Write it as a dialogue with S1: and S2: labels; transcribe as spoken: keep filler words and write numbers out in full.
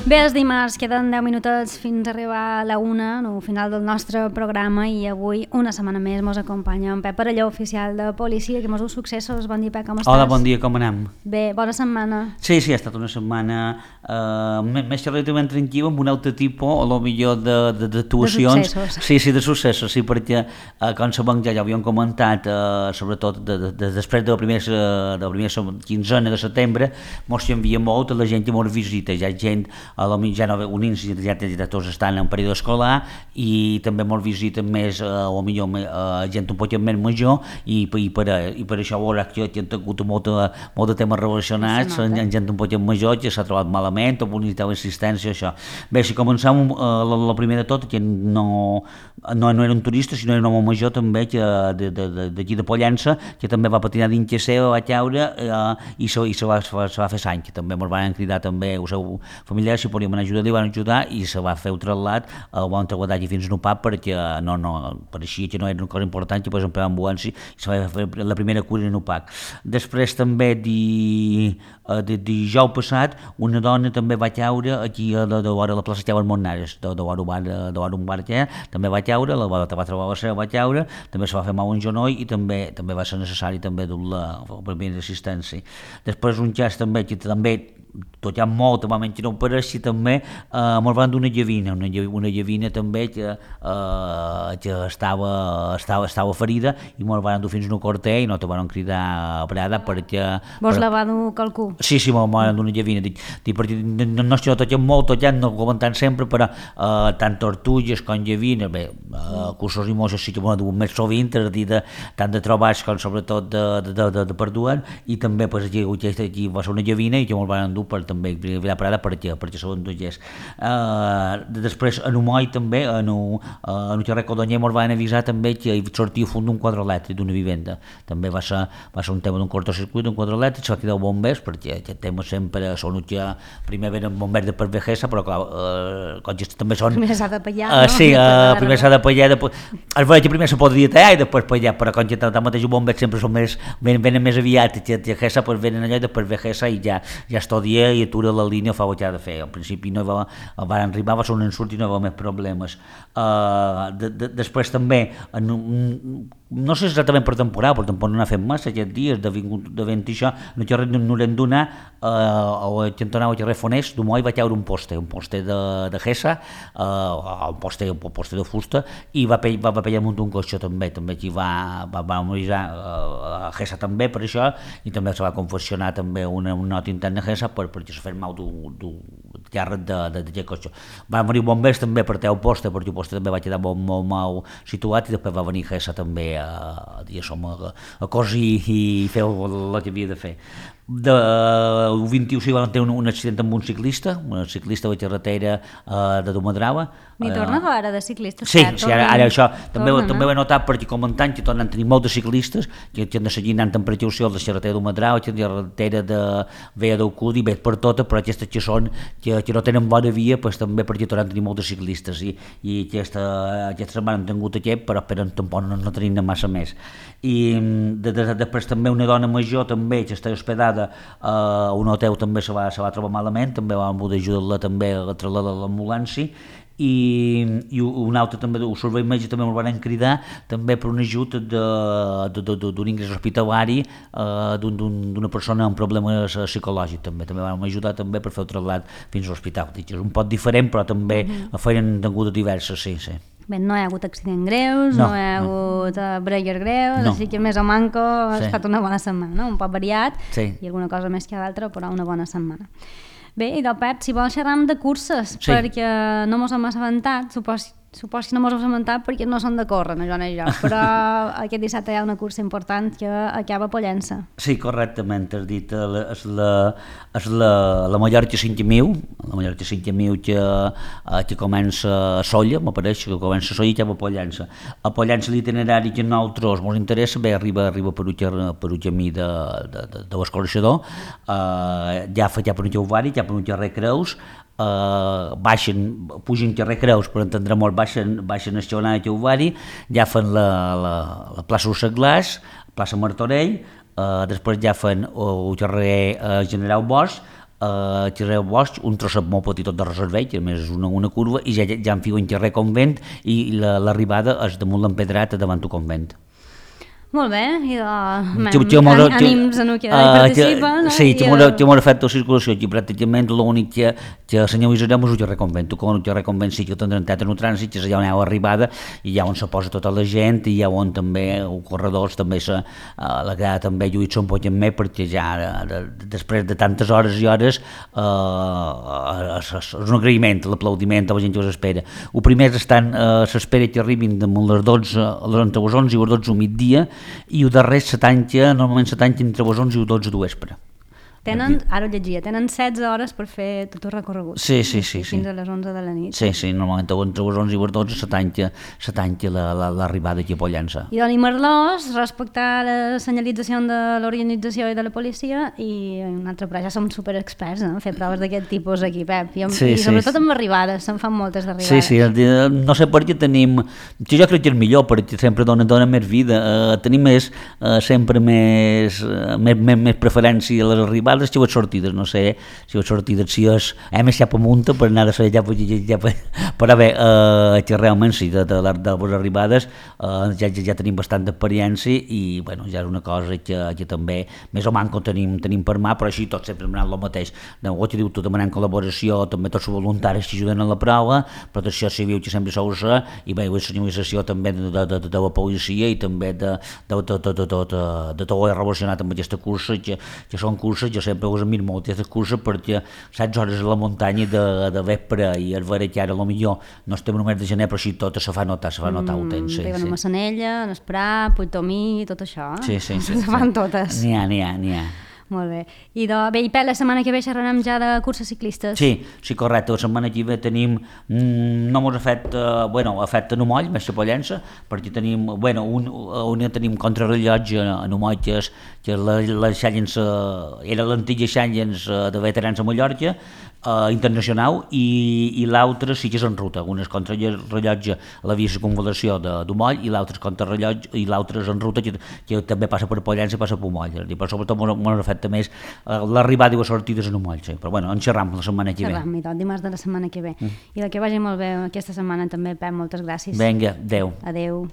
S1: Bé, els dimarts queden deu minutets fins a arribar a la una, al final del nostre programa, i avui, una setmana més, mos acompanya en Pep Parelló, oficial de policia, que mos diu successos. Bon dia, Pep, com estàs?
S2: Hola, bon dia, com anem?
S1: Bé, bona setmana.
S2: Sí, sí, ha estat una setmana uh, més relativament tranquil·la, amb un altre tipus, o lo millor d'actuacions.
S1: De successos.
S2: Sí, sí, de successos, sí, perquè, uh, com sabem, ja, ja ho havíem comentat, uh, sobretot de, de, de, després de la primera, de la primera quinzena de setembre, mos canvia molt, la gent que mos visita, ja gent, a la ja no, unins ja, ja tots estan en període escolar, i també mos visiten més, uh, o millor, uh, gent un poc més major, i, i, per, i per això veurà que hi ha hagut molt de, molt de temes relacionats, en, en gent un poc major que s'ha trobat malament, o necessitava assistència, això. Bé, si comencem, uh, la, la primera de tot, que no, no, no era un turista, sinó era un home major també, que d'aquí de, de, de, de Pollença, que també va patinar dins que seva, va caure, uh, i se, i se, va, se, va, se va fer sang, que també ens van cridar també els seus familiars si podíem anar a ajudar, li van ajudar, i se va fer el traslat, el van trasladar allà fins a Nupap, perquè no, no, pareixia que no era una cosa important, que posem per ambulància, i se va fer la primera cura a Nupac. Després també di, de dijous passat, una dona també va caure aquí a de, de, de la plaça Esteban Monnares, de, de, de, de un bar que també va caure, la va, va trobar la seva, va caure, també se va fer mal un genoll, i també també va ser necessari també dur la, la primera assistència. Després un cas també que també tot hi ha molt, també que no ho pareixi també, eh, ens van d'una llavina, una, una llavina també que, eh, que estava, estava, estava ferida, i ens van dur fins a un corter i no te van cridar a parada perquè...
S1: Vos
S2: per...
S1: la va dur qualcú?
S2: Sí, sí, ens van d'una llavina, dic, dic, perquè no, no és que no tot hi ha molt, tot hi ha, no ho comentant sempre, però eh, tant tortulles com llavines, bé, eh, cursos i mosses sí que m'ho han dut més sovint, és a dir, de, tant de trobats com sobretot de, de, de, de, de perduant, i també pues, aquí, aquí va ser una llavina i que ens van dur per també a parada perquè, perquè són dues. Uh, després en Humoi també, en un uh, carrer Codonyer ens van avisar també que hi sortia fum d'un quadre elèctric d'una vivenda. També va ser, va ser un tema d'un cortocircuit d'un quadre elèctric, se va cridar bombers, perquè aquest tema sempre són que primer venen bombers de per vejesa, però clar, uh, com que també són...
S1: Primer s'ha de pallar,
S2: uh,
S1: no?
S2: Sí, uh, primer s'ha de pallar, després... Es veia que primer se podria tallar i després pallar, però com que tanmateix els bombers sempre són més, venen, venen més aviat, que vejesa, pues venen allà i després vejesa i ja, ja és tot dia i atura la línia, fa el que ha de fer. Al principi no va, van arribar, va ser un ensurt i no hi va haver més problemes. Uh, de, de, després també, en, no sé exactament per temporada, però tampoc no n'ha fet massa aquests dies, de, de vent i això, no hi haurem no donar, uh, al cantonau al carrer Fonés, d'Humoi va caure un poste, un poste de, de Gessa, uh, un, poste, un poste de fusta, i va, va, va pellar un cotxe també, també aquí va, va, va morir uh, a Gessa també per això, i també se va confeccionar també una, una nota interna a Gessa per, perquè se fer mal d'un càrrec d'aquest cotxe. Va morir bombers també per teu poste, perquè el poste també va quedar molt, molt mal situat, i després va venir Gessa també a, a, a, a cosir i fer el que havia de fer. De, el vint-i-u sí van tenir un, un accident amb un ciclista, un ciclista de la carretera uh, de Domadrava.
S1: N'hi torna uh, ara de ciclistes?
S2: Sí, sí, ara, ara això també,
S1: tornen,
S2: també ho he notat perquè comentant que tornen a tenir molts de ciclistes que, que han de seguir anant amb precaució de la carretera de Domadrava, la carretera de Vella del Cudi, bé per tota, però aquestes que són que, que no tenen bona via, pues, també perquè tornen a tenir molts de ciclistes, i, i aquesta, aquesta setmana hem tingut aquest, però esperen tampoc no, no tenim massa més. I de, de, després també una dona major també que està hospedada a uh, un hotel també se va, se va trobar malament, també vam poder ajudar-la també a trasladar a l'ambulància, i, i un altre també, el servei mèdic també ens van cridar també per un ajut d'un ingrés hospitalari uh, d'una persona amb problemes psicològics, també també vam ajudar també per fer el trasllat fins a l'hospital. És un poc diferent, però també mm-hmm. feien tingut diverses, sí, sí.
S1: Bé, no hi ha hagut accidents greus, no, no hi ha no. hagut uh, bregues greus, no. Així que més o manco ha sí. estat una bona setmana, no? Un poc variat, sí. i alguna cosa més que l'altra, però una bona setmana. Bé, i del Pep, si vols xerram de curses, sí. perquè no mos hem assabentat, supos, supos que no mos hem assabentat perquè no són de córrer, no jo ni jo, però aquest dissabte hi ha una cursa important que acaba a Pollença.
S2: Sí, correctament, has dit, és la, és la, la Mallorca cinc mil, la Mallorca cinc mil que, que comença a Solla, m'apareix que comença a Solla i acaba a Pollença. A Pollença l'itinerari que a nosaltres ens interessa, bé, arriba, arriba per un, per un camí de, de, de, de l'escorxador, uh, ja fa ja per un Jauvari, ja per un carrer Creus, Uh, baixen, pugen carrer Creus, per entendre molt, baixen, baixen a Estionar i Jauvari, ja fan la, la, la plaça Ursaglàs, plaça Martorell, uh, després ja fan el carrer uh, General Bosch, uh, xerrer Bosch, un trosset molt petit de reservell, que a més és una, una curva, i ja, ja enfigo en xerrer Convent, i l'arribada és damunt l'empedrat davant el Convent.
S1: Molt bé, i de ànims en el que participa, no?
S2: Sí, que m'ho fet la circulació, i pràcticament l'únic que, que senyalitzarem és el carrer Convent. Tu, quan el carrer Convent sí que tindrà entrat en el trànsit, que és allà on hi ha arribada, i allà on se posa tota la gent, i allà on també els corredors també se, la grada també lluït un poc més, perquè ja de, de, després de tantes hores i hores eh, és, és un agraïment, l'aplaudiment a la gent que us espera. El primer estan, eh, s'espera que arribin damunt les dotze, entre les onze i les dotze al migdia, i el darrer se tanca, normalment se tanca entre les onze i les dotze de vespre.
S1: Tenen, ara ho llegia, tenen setze hores per fer tot el recorregut.
S2: Sí, sí, sí.
S1: Fins
S2: sí.
S1: a les onze de la nit.
S2: Sí, sí, normalment entre les onze i les dotze se tanca, se tanca l'arribada aquí a Pollença.
S1: I Doni Merlós, respectar la senyalització de l'organització i de la policia, i un altre, però ja som superexperts, no? Fer proves d'aquest tipus aquí, Pep. I, amb, sí, i sobretot sí. amb arribades, se'n fan moltes d'arribades.
S2: Sí, sí, no sé per què tenim, jo crec que és millor, perquè sempre dona, dona més vida, uh, tenim més, uh, sempre més, uh, més, més, més preferència a les arribades, que les sortides, no sé si les sortides, si és, hem estat a munta per anar a ser ja, ja, ja, però bé, eh, que realment sí, de, de, de, de les arribades eh, ja, ja, ja tenim bastant d'experiència i bueno, ja és una cosa que, que també més o manco tenim, tenim per mà, però així tot sempre demanant el mateix, no, el que diu tu, demanant col·laboració, també tots els voluntaris que ajuden a la prova, protecció civil que sempre sou ser, i bé, la senyalització també de, de, de, de la policia i també de, de, de, de, de, de, de, de tot el relacionat amb aquesta cursa, que, que són curses, jo sempre us admiro molt aquesta cursa perquè setze hores a la muntanya de, de vespre i el veure que ara potser no estem només de gener, però així tot se fa notar, se fa notar mm, el temps. Sí,
S1: Arriben
S2: sí.
S1: a Massanella, a Esprà, Puigtomí, tot això.
S2: Sí, sí, sí.
S1: Se
S2: sí,
S1: fan
S2: sí.
S1: totes.
S2: N'hi ha, n'hi ha, n'hi ha.
S1: Molt bé. I de, bé, i per la setmana que ve xerrarem ja de curses ciclistes.
S2: Sí, sí, correcte. La setmana que ve tenim, mm, no mos ha fet, uh, bueno, ha fet a Numoll, més a Pollença, perquè tenim, bueno, un, un tenim contrarrellotge a Numoll, que és, que és la, la Challenge, uh, era l'antiga Challenge uh, de veterans a Mallorca, uh, internacional, i, i l'altre sí que és en ruta. Un és contrarrellotge a la via circunvalació de Numoll, i l'altre és contrarrellotge, i l'altre és en ruta, que, que també passa per Pollença i passa per Moll. Però sobretot mos ha fet més l'arribada i les sortides en un moll, sí. Però bueno, en xerram la setmana que ve.
S1: Xerram, i tot, dimarts de la setmana que ve. Mm. I de que vagi molt bé aquesta setmana també, Pep, moltes gràcies.
S2: Vinga, adeu.
S1: Adeu.